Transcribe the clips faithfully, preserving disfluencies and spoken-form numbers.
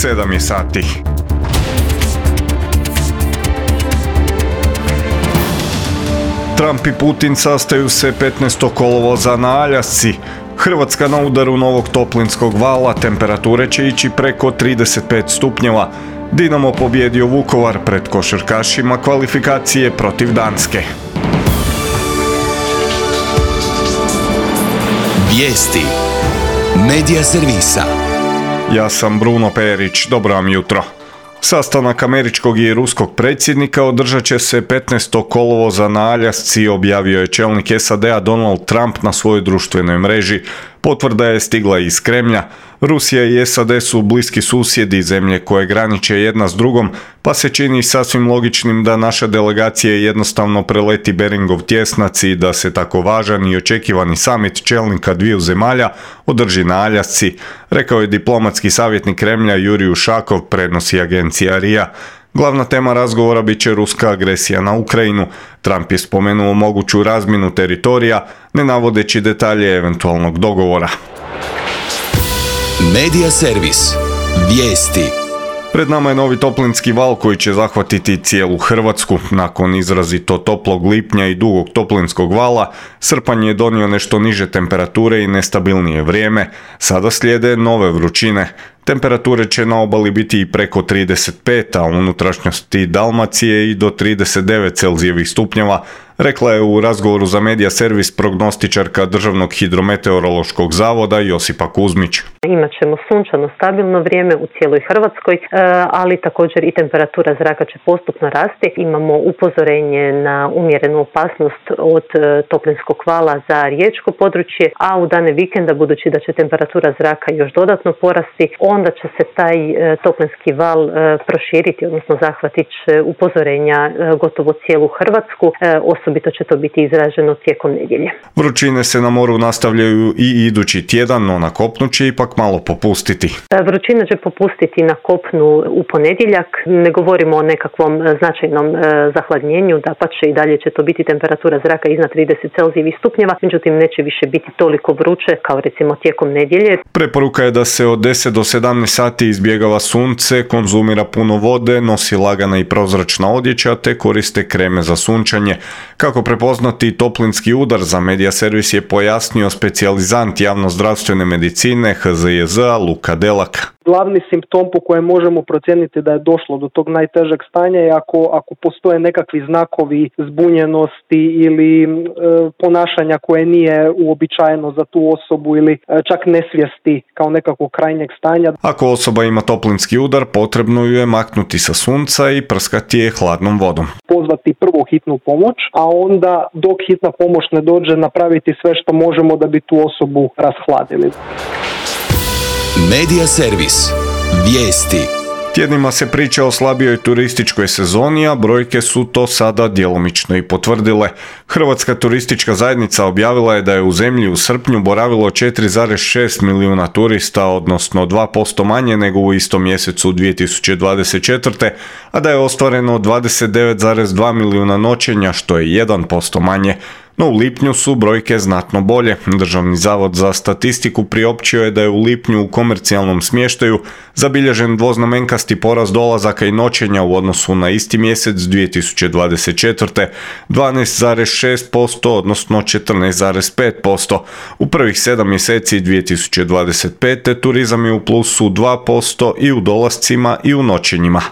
sedam je sati. Trump i Putin sastaju se petnaestog kolovoza na Aljasci. Hrvatska na udaru novog toplinskog vala, temperature će ići preko trideset pet stupnjeva. Dinamo pobjedio Vukovar pred košarkašima kvalifikacije protiv Danske. Vijesti Medija servisa. Ja sam Bruno Perić, dobro vam jutro. Sastanak američkog i ruskog predsjednika održat će se petnaestog kolovoza na Aljasci, objavio je čelnik S A D-a Donald Trump na svojoj društvenoj mreži. Potvrda je stigla iz Kremlja. Rusija i S A D su bliski susjedi, zemlje koje graniče jedna s drugom, pa se čini sasvim logičnim da naša delegacija jednostavno preleti Beringov tjesnac i da se tako važan i očekivani samit čelnika dviju zemalja održi na Aljasci, rekao je diplomatski savjetnik Kremlja Jurij Ušakov, prenosi agencija R I A. Glavna tema razgovora bit će ruska agresija na Ukrajinu. Trump je spomenuo moguću razmjenu teritorija, ne navodeći detalje eventualnog dogovora. Medija servis. Vijesti. Pred nama je novi toplinski val koji će zahvatiti cijelu Hrvatsku. Nakon izrazito toplog lipnja i dugog toplinskog vala, srpanj je donio nešto niže temperature i nestabilnije vrijeme. Sada slijede nove vrućine. Temperature će na obali biti i preko trideset pet, a u unutrašnjosti Dalmacije i do trideset devet Celzijevih stupnjeva, rekla je u razgovoru za Medija servis prognostičarka Državnog hidrometeorološkog zavoda Josipa Kuzmić. Imat ćemo sunčano, stabilno vrijeme u cijeloj Hrvatskoj, ali također i temperatura zraka će postupno rasti. Imamo upozorenje na umjerenu opasnost od toplinskog vala za riječko područje, a u dane vikenda, budući da će temperatura zraka još dodatno porasti, onda će se taj toplinski val proširiti, odnosno zahvatit će upozorenja gotovo cijelu Hrvatsku. Osobito će to biti izraženo tijekom nedjelje. Vrućine se na moru nastavljaju i idući tjedan, no na kopnu će ipak malo popustiti. Vrućina će popustiti na kopnu u ponedjeljak. Ne govorimo o nekakvom značajnom zahladnjenju, dapače i dalje će to biti temperatura zraka iznad trideset Celzijevih stupnjeva, međutim neće više biti toliko vruće kao recimo tijekom nedjelje. Preporuka je da se od deset do sedamnaest sati izbjegava sunce, konzumira puno vode, nosi lagana i prozračna odjeća te koriste kreme za sunčanje. Kako prepoznati toplinski udar, za Medija servis je pojasnio specijalizant javnozdravstvene medicine H Z J Z-a Luka Delak. Glavni simptom po kojem možemo procijeniti da je došlo do tog najtežeg stanja je ako, ako postoje nekakvi znakovi zbunjenosti ili e, ponašanja koje nije uobičajeno za tu osobu ili e, čak nesvijesti kao nekakvog krajnjeg stanja. Ako osoba ima toplinski udar, potrebno ju je maknuti sa sunca i prskati je hladnom vodom. Pozvati prvo hitnu pomoć, a onda dok hitna pomoć ne dođe napraviti sve što možemo da bi tu osobu rashladili. Medija servis. Vijesti. Tjednima se priča o slabijoj turističkoj sezoni, a brojke su to sada djelomično i potvrdile. Hrvatska turistička zajednica objavila je da je u zemlji u srpnju boravilo četiri zarez šest milijuna turista, odnosno dva posto manje nego u istom mjesecu dvije tisuće dvadeset četvrte. a da je ostvareno dvadeset devet zarez dva milijuna noćenja, što je jedan posto manje. No u lipnju su brojke znatno bolje. Državni zavod za statistiku priopćio je da je u lipnju u komercijalnom smještaju zabilježen dvoznamenkasti porast dolazaka i noćenja u odnosu na isti mjesec dvije tisuće dvadeset četvrte. dvanaest zarez šest posto, odnosno četrnaest zarez pet posto. U prvih sedam mjeseci dvije tisuće dvadeset pete. turizam je u plusu dva posto i u dolascima i u noćenjima.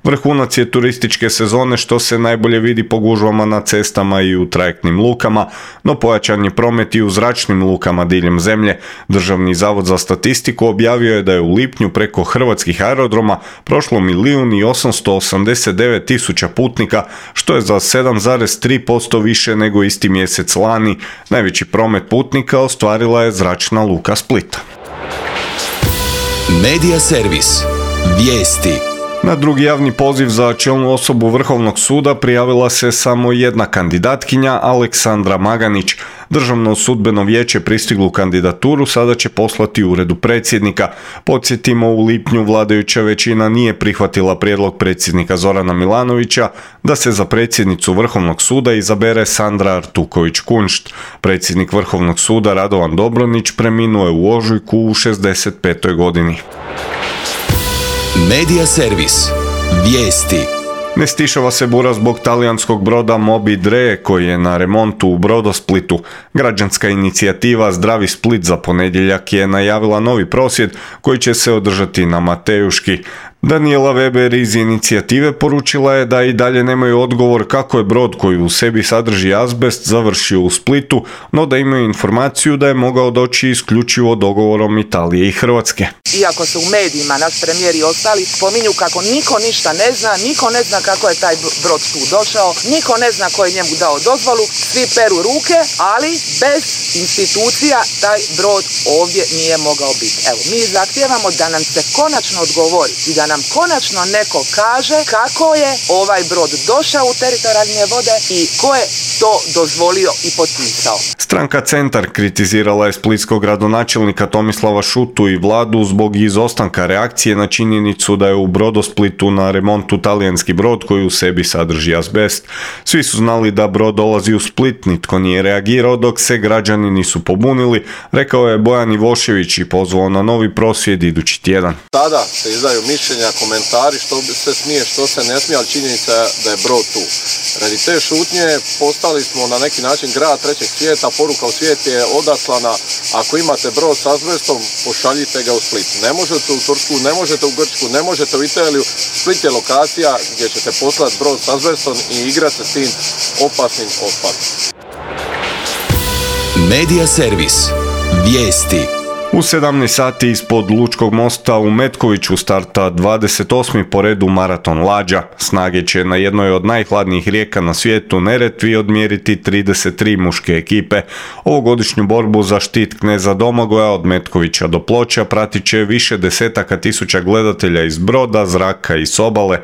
Vrhunac je turističke sezone, što se najbolje vidi po gužvama na cestama i u trajektnim lukama, no pojačan je promet i u zračnim lukama diljem zemlje. Državni zavod za statistiku objavio je da je u lipnju preko hrvatskih aerodroma prošlo milijun i osamsto osamdeset devet tisuća putnika, što je za sedam zarez tri posto više nego isti mjesec lani. Najveći promet putnika ostvarila je zračna luka Split. Medija servis. Vijesti. Na drugi javni poziv za čelnu osobu Vrhovnog suda prijavila se samo jedna kandidatkinja, Aleksandra Maganić. Državno sudbeno vijeće pristiglu kandidaturu sada će poslati uredu predsjednika. Podsjetimo, u lipnju vladajuća većina nije prihvatila prijedlog predsjednika Zorana Milanovića da se za predsjednicu Vrhovnog suda izabere Sandra Artuković-Kunšt. Predsjednik Vrhovnog suda Radovan Dobronić preminuo je u ožujku u šezdeset petoj godini. Medija servis. Vijesti. Ne stišava se bura zbog talijanskog broda Moby Dre koji je na remontu u Brodosplitu. Građanska inicijativa Zdravi Split za ponedjeljak je najavila novi prosvjed koji će se održati na Matejuški. Daniela Weber iz inicijative poručila je da i dalje nemaju odgovor kako je brod koji u sebi sadrži azbest završio u Splitu, no da imaju informaciju da je mogao doći isključivo dogovorom Italije i Hrvatske. Iako se u medijima naš premijer i ostali spominju kako niko ništa ne zna, niko ne zna kako je taj brod tu došao, niko ne zna ko je njemu dao dozvolu, svi peru ruke, ali bez institucija taj brod ovdje nije mogao biti. Evo, mi zahtijevamo da nam se konačno odgovori i da nam konačno neko kaže kako je ovaj brod došao u teritorijalne vode i ko je to dozvolio i potpisao. Stranka Centar kritizirala je splitskog gradonačelnika Tomislava Šutu i vladu zbog izostanka reakcije na činjenicu da je u Brodosplitu na remontu talijanski brod koji u sebi sadrži azbest. Svi su znali da brod dolazi u Split, nitko nije reagirao dok se građani nisu pobunili, rekao je Bojan Ivošević i pozvao na novi prosvjed idući tjedan. Tada se izdaju mišljenja, komentari što se smije, što se ne smije, ali činjenica je da je brod tu. Radi te šutnje postali smo na neki način grad trećeg svijeta, poruka u svijet je odaslana, ako imate brod s azbestom, pošaljite ga u Split. Ne možete u Tursku, ne možete u Grčku, ne možete u Italiju. Split je lokacija gdje ćete poslati brod s azbestom i igrati se s tim opasnim otpadom. Medija servis. Vijesti. U sedamnaest sati ispod Lučkog mosta u Metkoviću starta dvadeset osmi po redu maraton lađa. Snage će na jednoj od najhladnijih rijeka na svijetu, Neretvi, odmjeriti trideset tri muške ekipe. Ovogodišnju borbu za štit kneza Domagoja od Metkovića do Ploča pratit će više desetaka tisuća gledatelja iz Broda, Zraka i s obale.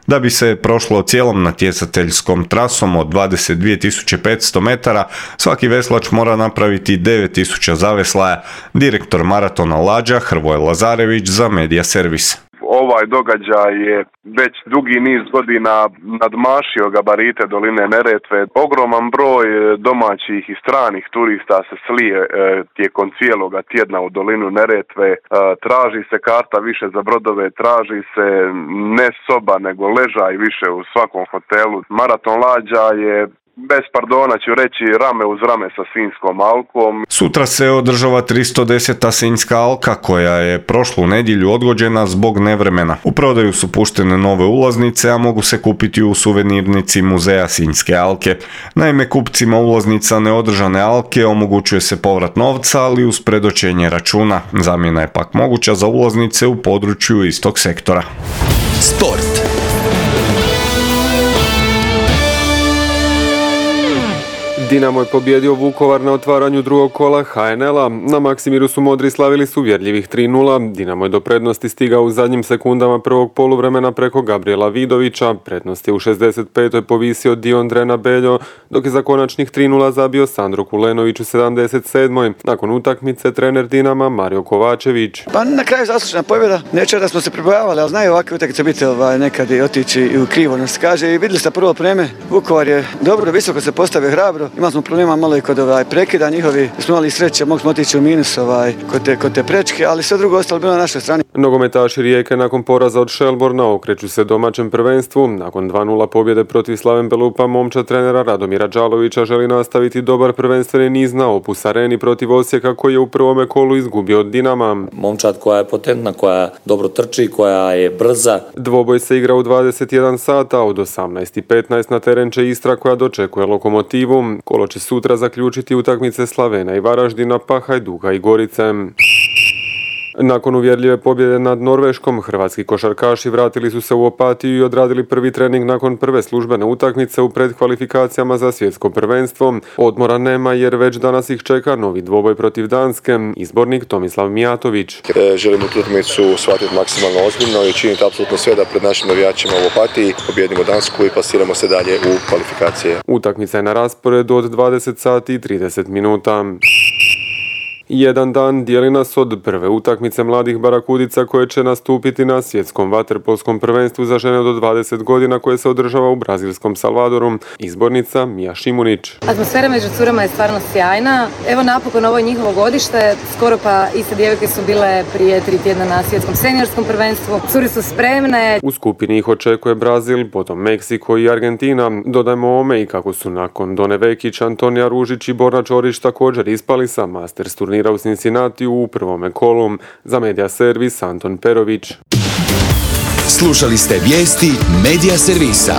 Da bi se prošlo cijelom natjecateljskom trasom od dvadeset dvije tisuće petsto metara, svaki veslač mora napraviti devet tisuća zaveslaja. Direktor maratona lađa Hrvoje Lazarević za Medija servis. Ovaj događaj je već dugi niz godina nadmašio gabarite doline Neretve. Ogroman broj domaćih i stranih turista se slije e, tijekom cijeloga tjedna u dolinu Neretve. E, traži se karta više za brodove, traži se ne soba nego ležaj više u svakom hotelu. Maraton lađa je, bez pardona ću reći, rame uz rame sa Sinjskom alkom. Sutra se održava tristo deseta Sinjska alka koja je prošlu nedjelju odgođena zbog nevremena. U prodaju su puštene nove ulaznice, a mogu se kupiti u suvenirnici muzeja Sinjske alke. Naime, kupcima ulaznica neodržane alke omogućuje se povrat novca, ali uz predočenje računa. Zamjena je pak moguća za ulaznice u području istog sektora. Sport. Dinamo je pobjedio Vukovar na otvaranju drugog kola ha en el a. Na Maksimiru su modri slavili s uvjerljivih tri nula. Dinamo je do prednosti stigao u zadnjim sekundama prvog poluvremena preko Gabriela Vidovića. Prednost je u šezdeset petoj povisio Diondrena Beljo, dok je za konačnih tri nula zabio Sandro Kulenović u sedamdeset sedmoj Nakon utakmice trener Dinama Mario Kovačević. Pa na kraju zaslužena pobjeda. Neće da smo se pribojavali, ali znaju ovakve utakmice biti ovaj, nekad i otići i u krivo nas kaže. I vidjeli ste prvo vreme. Vukovar je dobro, visoko se postavio, hrabro. Imali smo problema malo i kod ovaj, prekida njihovi. Smo imali sreće, mogli smo otići u minus ovaj, kod, te, kod te prečke, ali sve drugo ostalo bilo na našoj strani. Nogometaši Rijeke nakon poraza od Šelborna okreću se domaćem prvenstvu. Nakon dva nula pobjede protiv Slaven Belupa, momčad trenera Radomira Đalovića želi nastaviti dobar prvenstveni niz na Opus Areni protiv Osijeka koji je u prvome kolu izgubio od Dinama. Momčad koja je potentna, koja dobro trči, koja je brza. Dvoboj se igra u dvadeset jedan sata, od osamnaest i petnaest na teren će Istra koja dočekuje Lokomotivu. Kolo će sutra zaključiti utakmice Slavena i Varaždina, pa Hajduka i Gorice. Nakon uvjerljive pobjede nad Norveškom, hrvatski košarkaši vratili su se u Opatiju i odradili prvi trening nakon prve službene utakmice u predkvalifikacijama za svjetsko prvenstvo. Odmora nema jer već danas ih čeka novi dvoboj protiv Danske. Izbornik Tomislav Mijatović. E, želimo utakmicu shvatiti maksimalno ozbiljno i činiti apsolutno sve da pred našim navijačima u Opatiji pobjedimo Dansku i pasiramo se dalje u kvalifikacije. Utakmica je na rasporedu od dvadeset sati i trideset minuta. Jedan dan dijeli nas od prve utakmice mladih barakudica koje će nastupiti na svjetskom vaterpolskom prvenstvu za žene do dvadeset godina koje se održava u brazilskom Salvadoru. Izbornica Mija Šimunić. Atmosfera među curama je stvarno sjajna. Evo napokon ovo je njihovo godište. Skoro pa iste djevojke su bile prije tri tjedna na svjetskom seniorskom prvenstvu. Cure su spremne. U skupini ih očekuje Brazil, potom Meksiko i Argentina. Dodajmo ome i kako su nakon Done Vekić, Antonija Ružić i Borna Čorić također ispali sa Masters turnira u Cincinnati u prvome kolu. Za Medija Servis Anton Perović. Slušali ste vijesti Medija Servisa.